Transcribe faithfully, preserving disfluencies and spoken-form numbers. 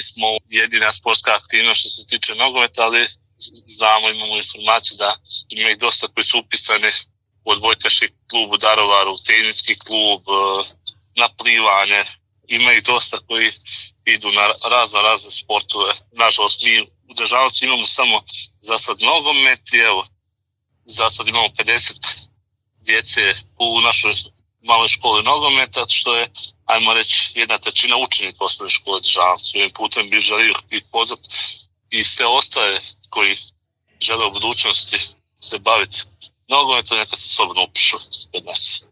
nismo jedina sportska aktivnost što se tiče nogometa, ali znamo, imamo informaciju da ima ih dosta koji su upisani u odbojkaški klub u Daruvaru, teniski klub, na plivanje. Ima ih dosta koji idu na razne, razne sportove. Nažalost, mi u Dežanovcu imamo samo za sad nogomet i evo, za sad imamo pedeset djece u našoj maloj školi nogometa, što je, ajmo reći, jedna trećina učenika osnovne škole Dežanovcu. Ovim putem bi želio ih pozvati i sve ostale koji žele u budućnosti se baviti nogometom, neka se slobodno upišu kod nas.